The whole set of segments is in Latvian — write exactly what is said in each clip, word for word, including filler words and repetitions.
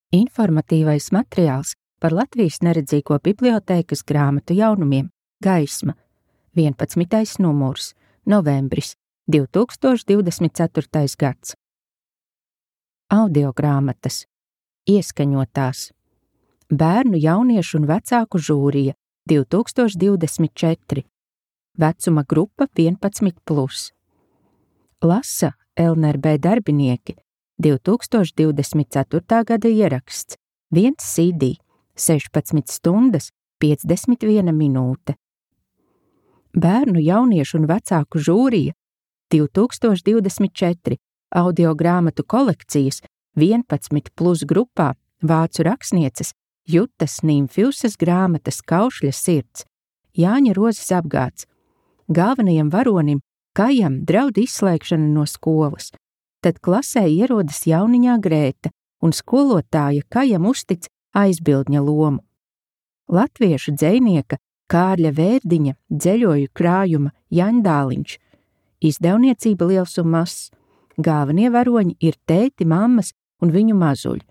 Informatīvais materiāls par Latvijas neredzīgo bibliotēkas grāmatu jaunumiem Gaisma, vienpadsmitais numurs, novembris, divi tūkstoši divdesmit ceturtais gads. Audiogrāmatas, ieskaņotās, bērnu, jauniešu un vecāku žūrija divi tūkstoši divdesmit četri, vecuma grupa vienpadsmit plus. Lasa L N R B darbinieki, divi tūkstoši divdesmit ceturtā gada ieraksts, viens C D, sešpadsmit stundas, piecdesmit viena minūte. Bērnu, jauniešu un vecāku žūrija divi tūkstoši divdesmit četri, audiogrāmatu kolekcijas vienpadsmit plus grupā vācu rakstnieces Jutas Nimfjusas grāmatas Kaušļa sirds, Jāņa Rozes apgāds. Galvenajam varonim Kajam draud izslēgšana no skolas, tad klasē ierodas jauniņā Grēta un skolotāja Kajam uztic aizbildņa lomu. Latviešu dzejnieka Kārļa Vērdiņa dzeļoju krājuma Jaņdāliņš, izdevniecība Liels un Mazs. Galvenie varoņi ir tēti, mammas un viņu mazuļi.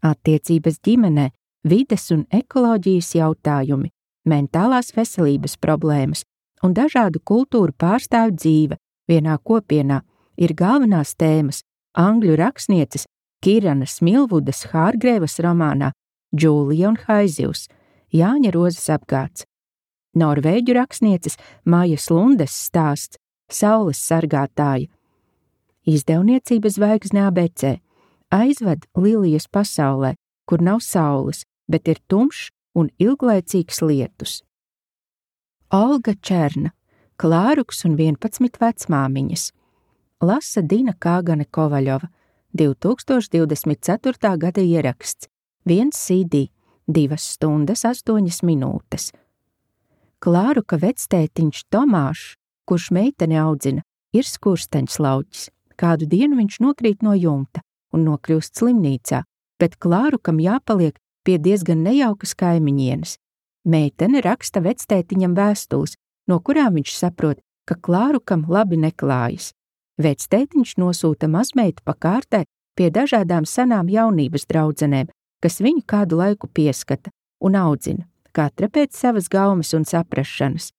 Attiecības ģimenē, vides un ekoloģijas jautājumi, mentālās veselības problēmas un dažādu kultūru pārstāvju dzīve vienā kopienā ir galvenās tēmas angļu rakstnieces Kiranas Milvudas Hārgrēvas romānā Džūlija un Haizivs, Jāņa Rozes apgāds. Norvēģu rakstnieces Majas Lundes stāsts Saules sargātāja. Izdevniecība Zvaigzne A B C aizved Lilijas pasaulē, kur nav saules, bet ir tumšs un ilglaicīgs lietus. Olga Černa, Klāruks un vienpadsmit vecmāmiņas. Lasa Dina Kāgane Kovaļova, divi tūkstoši divdesmit ceturtā gada ieraksts, viens C D, divas stundas, astoņas minūtes. Klāruka vectētiņš Tomāšs, kurš meiteni audzina, ir skursteņslauķis. Kādu dienu viņš nokrīt no jumta un nokļūst slimnīcā, bet Klārukam jāpaliek pie diezgan nejaukas kaimiņienes. Meitene raksta vectētiņam vēstules, no kurām viņš saprot, ka Klārukam labi neklājas. Vectētiņš nosūta mazmeitu pa kārtē pie dažādām senām jaunības draudzenēm, kas viņu kādu laiku pieskata un audzina, katra pēc savas gaumes un saprašanas.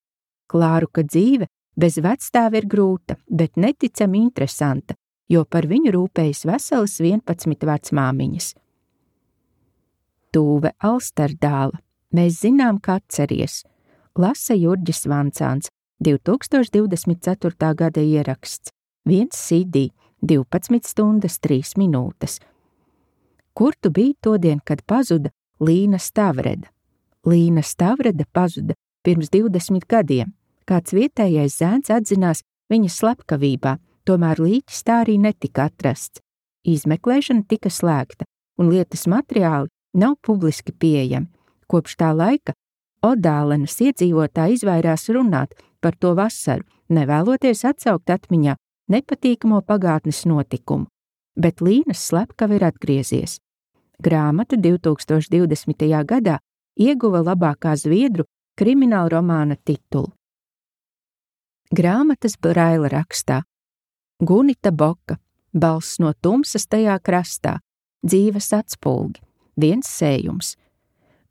Klāruka dzīve bez vecstāva ir grūta, bet neticami interesanta, jo par viņu rūpējas veselas vienpadsmit vecmāmiņas. Tūve Alsterdāla, mēs zinām, ka atceries. Lasa Jurģis Vancāns, divi tūkstoši divdesmit ceturtā gada ieraksts, viens C D, divpadsmit stundas, trīs minūtes. Kur tu biji todien, kad pazuda Līna Stavreda? Līna Stavreda pazuda pirms divdesmit gadiem. Kāds vietējais zēns atzinās viņas slepkavībā, tomēr līķis tā arī netika atrasts. Izmeklēšana tika slēgta, un lietas materiāli nav publiski pieejami. Kopš tā laika Odālenes iedzīvotāji izvairās runāt par to vasaru, nevēloties atsaukt atmiņā nepatīkamo pagātnes notikumu, bet Līnas slepkava ir atgriezies. Grāmata divi tūkstoši divdesmitajā gadā ieguva labākā zviedru krimināla romāna titulu. Grāmatas Braila rakstā. Gunita Boka, balss no tumsas tajā krastā, dzīves atspulgi, viens sējums.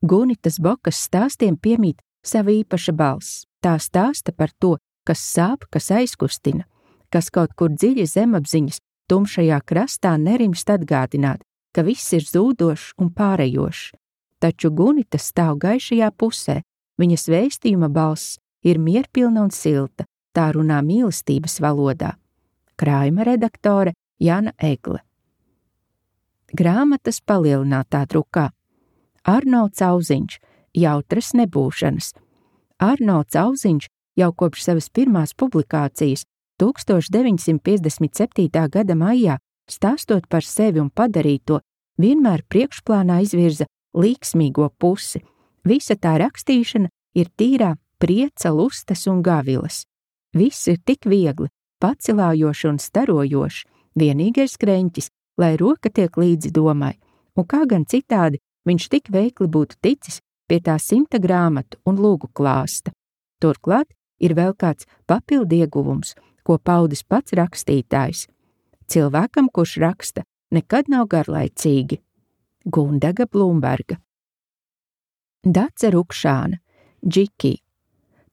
Gunitas Bokas stāstiem piemīt sava īpaša balss. Tā stāsta par to, kas sāp, kas aizkustina, kas kaut kur dziļi zemapziņas tumšajā krastā nerimst atgādināt, ka viss ir zūdošs un pārejošs. Taču Gunita stāv gaišajā pusē, viņas vēstījuma balss ir mierpilna un silta, tā runā mīlestības valodā. Krājuma redaktore Jana Egle. Grāmatas palielinātā drukā. Arnolds Auziņš, Jautras nebūšanas. Arnolds Auziņš jau kopš savas pirmās publikācijas tūkstoš deviņsimt piecdesmit septītā gada maijā, stāstot par sevi un padarīto, vienmēr priekšplānā izvirza līksmīgo pusi. Visa tā rakstīšana ir tīrā prieca, lustas un gavilas. Viss ir tik viegli, pacilājoši un starojoši, vienīgais kreņķis, lai roka tiek līdzi domai, un kā gan citādi viņš tik veikli būtu ticis pie tā simta grāmatu un lūgu klāsta. Turklāt ir vēl kāds papildu ieguvums, ko paudis pats rakstītājs. Cilvēkam, kurš raksta, nekad nav garlaicīgi. Gundaga Blūmberga. Dace Rukšāna, Džiki.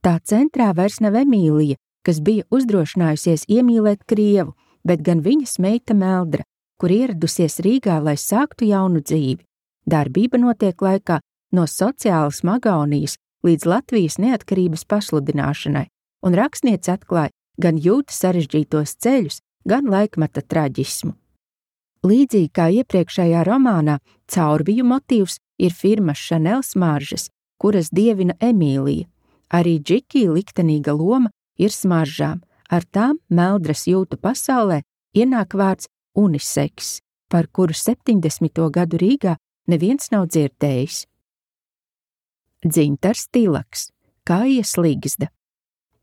Tā centrā vairs nav Emīlija, kas bija uzdrošinājusies iemīlēt krievu, bet gan viņas meita Meldra, kur ieradusies Rīgā, lai sāktu jaunu dzīvi. Darbība notiek laikā no sociālas magonijas līdz Latvijas neatkarības pasludināšanai, un rakstniece atklāja gan jūta sarežģītos ceļus, gan laikmeta traģismu. Līdzīgi kā iepriekšējā romānā, Caurbiju motīvs ir firmas Chanel smaržas, kuras dievina Emīlija. Arī Džiki liktenīga loma ir smaržām, ar tām Meldras jūtu pasaulē ienāk vārds uniseks, par kuru septiņdesmito gadu Rīgā neviens nav dzirdējis. Dzintars Tilaks, Kājas Ligzda.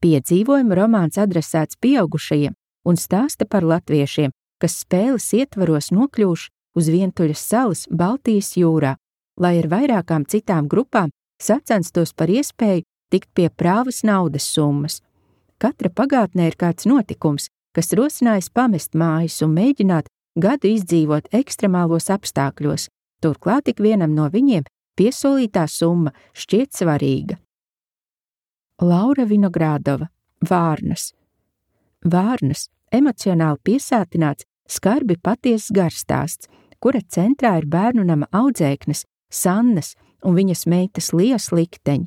Piedzīvojuma romāns adresēts pieaugušajiem un stāsta par latviešiem, kas spēles ietvaros nokļuvuši uz vientuļas salas Baltijas jūrā, lai ar vairākām citām grupām sacenstos par iespēju tikt pie prāvas naudas summas. Katra pagātnē ir kāds notikums, kas rosinājis pamest mājas un mēģināt gadu izdzīvot ekstremālos apstākļos, turklāt ik vienam no viņiem piesolītā summa šķiet svarīga. Laura Vinogradova, Vārnas. Vārnas emocionāli piesātināts, skarbi patiesas garstāsts, kura centrā ir bērnu nama audzēknes, Sannas un viņas meitas Lijas likteņi.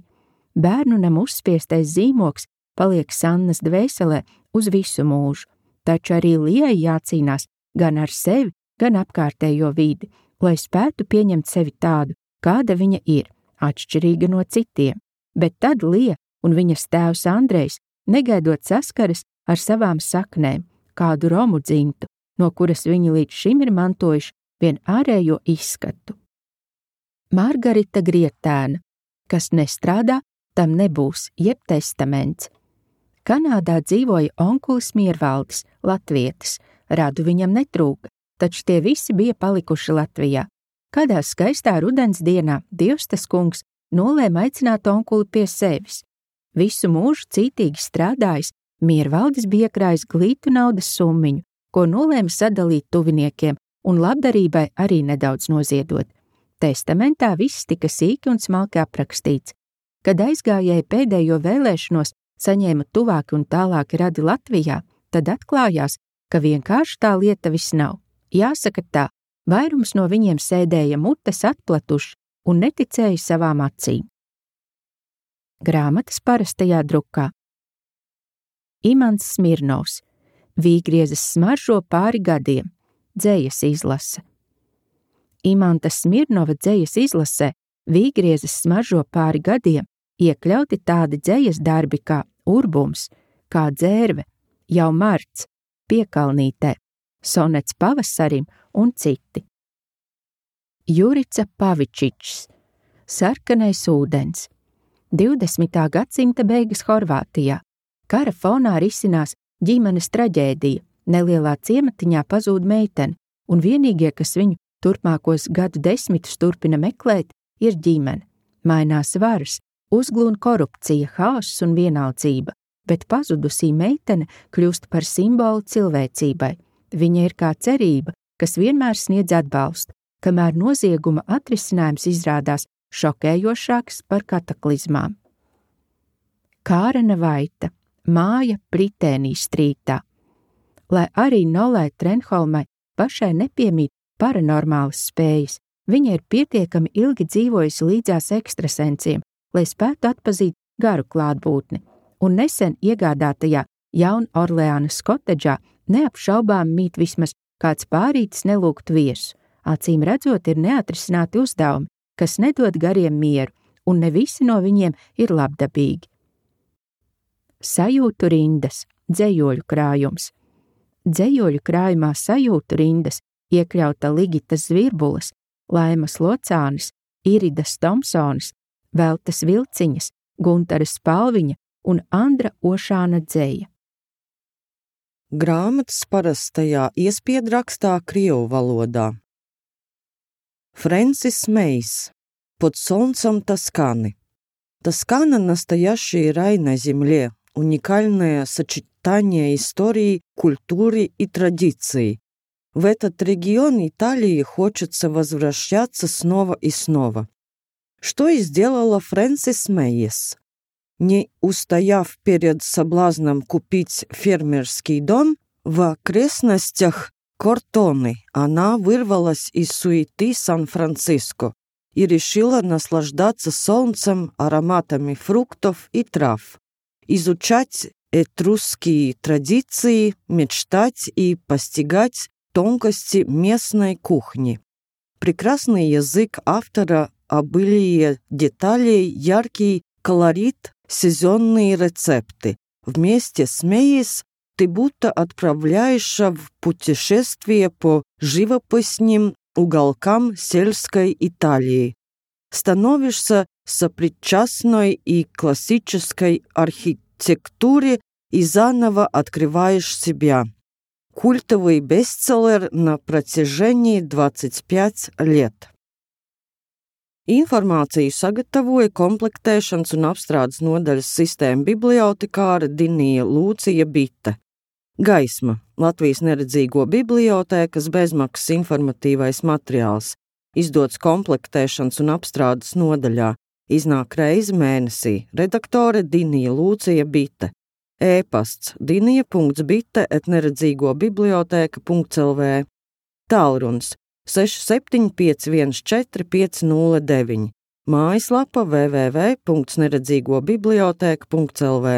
Bērnu nama uzspiestais zīmoks paliek Sannas dvēselē uz visu mūžu, taču arī Lijai jācīnās gan ar sevi, gan apkārtējo vidi, lai spētu pieņemt sevi tādu, kāda viņa ir, atšķirīga no citiem, bet tad Lija un viņas tēvs Andrejs negaidot saskaras ar savām saknēm, kādu romu dzimtu, no kuras viņi līdz šim ir mantojuši vien ārējo izskatu. Margarita Grietēna, kas nestrādā, tam nebūs, jeb testaments. Kanādā dzīvoja onkulis Miervaldis, latvietis, radu viņam netrūka, taču tie visi bija palikuši Latvijā. Kādā skaistā rudens dienā Dievstas kungs nolēma aicināt onkuli pie sevis. Visu mūžu cītīgi strādājis, Miervaldis bija iekrājis glītu naudas summiņu, ko nolēma sadalīt tuviniekiem un labdarībai arī nedaudz noziedot. Testamentā viss tika sīki un smalki aprakstīts. Kad aizgājēji pēdējo vēlēšanos saņēma tuvāki un tālāki radi Latvijā, tad atklājās, ka vienkārši tā lieta viss nav. Jāsaka tā, vairums no viņiem sēdēja mutes atplatuši un neticēja savām acīm. Grāmatas parastajā drukā. Imants Smirnovs, Vīgriezes smaržo pāri gadiem, dzejas izlase. Imanta Smirnova dzejas izlasē Vīgriezes smaržo pāri gadiem iekļauti tādi dzejas darbi kā Urbums, kā Dzērve, Jau marts, Piekalnītē, Sonets pavasarim un citi. Jurica Pavičičs, Sarkanais ūdens, divdesmitā gadsimta beigas Horvātijā. Kara fonā risinās ģimenes traģēdija, nelielā ciematiņā pazūd meitene, un vienīgie, kas viņu turpmākos gadu desmitus turpina meklēt, ir ģimene. Mainās varas, uzglūn korupcija, haoss un vienaldzība, bet pazudusī meitene kļūst par simbolu cilvēcībai. Viņa ir kā cerība, kas vienmēr sniedz atbalstu, kamēr nozieguma atrisinājums izrādās šokējošāks par kataklizmām. Kārena Vaita, Māja Pritēnī strītā. Lai arī Nolai Trenholmai pašai nepiemīt paranormālas spējas, viņa ir pietiekami ilgi dzīvojusi līdzās ekstrasensiem, lai spētu atpazīt garu klātbūtni, un nesen iegādātajā Jaun Orleānas kotedžā neapšaubām mīt vismaz kāds pārītis nelūgt viesu. Acīm redzot, ir neatrisināti uzdevumi, kas nedod gariem mieru, un ne visi no viņiem ir labdabīgi. Sajūtu rindas, dzejoļu krājums. Dzejoļu krājumā Sajūtu rindas iekļauta Ligitas Zvirbulas, Laimas Locānis, Iridas Tomsonas, Veltes Vilciņas, Guntaras Spalviņa un Andra Ošāna dzeja. Grāmatas parastajā iespiedrakstā krievu valodā. Фрэнсис Мейс. Под солнцем Тосканы. Тоскана – настоящий рай на земле, уникальное сочетание истории, культуры и традиций. В этот регион Италии хочется возвращаться снова и снова. Что и сделала Фрэнсис Мейес. Не устояв перед соблазном купить фермерский дом, в окрестностях Кортоны она вырвалась из суеты Сан-Франциско и решила наслаждаться солнцем, ароматами фруктов и трав, изучать этрусские традиции, мечтать и постигать тонкости местной кухни. Прекрасный язык автора, обилие деталей, яркий колорит, сезонные рецепты. Вместе с Мейес ты будто отправляешься в путешествие по живописным уголкам сельской Италии. Становишься сопричастной и классической архитектуре и заново открываешь себя. Культовый бестселлер на протяжении двадцать пять лет. Informāciju sagatavoja komplektēšanas un apstrādes nodaļas sistēma bibliotekāre Dinija Lūcija Bite. Gaisma – Latvijas neredzīgo bibliotēkas bezmaksas informatīvais materiāls, izdots komplektēšanas un apstrādes nodaļā, iznāk reizi mēnesī, redaktore Dinija Lūcija Bite. E-pasts dinija.bite et neredzīgo bibliotēka punkt l v. Tālrunis seši septiņi pieci viens četri pieci nulle deviņi. Mājaslapa w w w punkt neredzīgo bibliotēka punkt l v.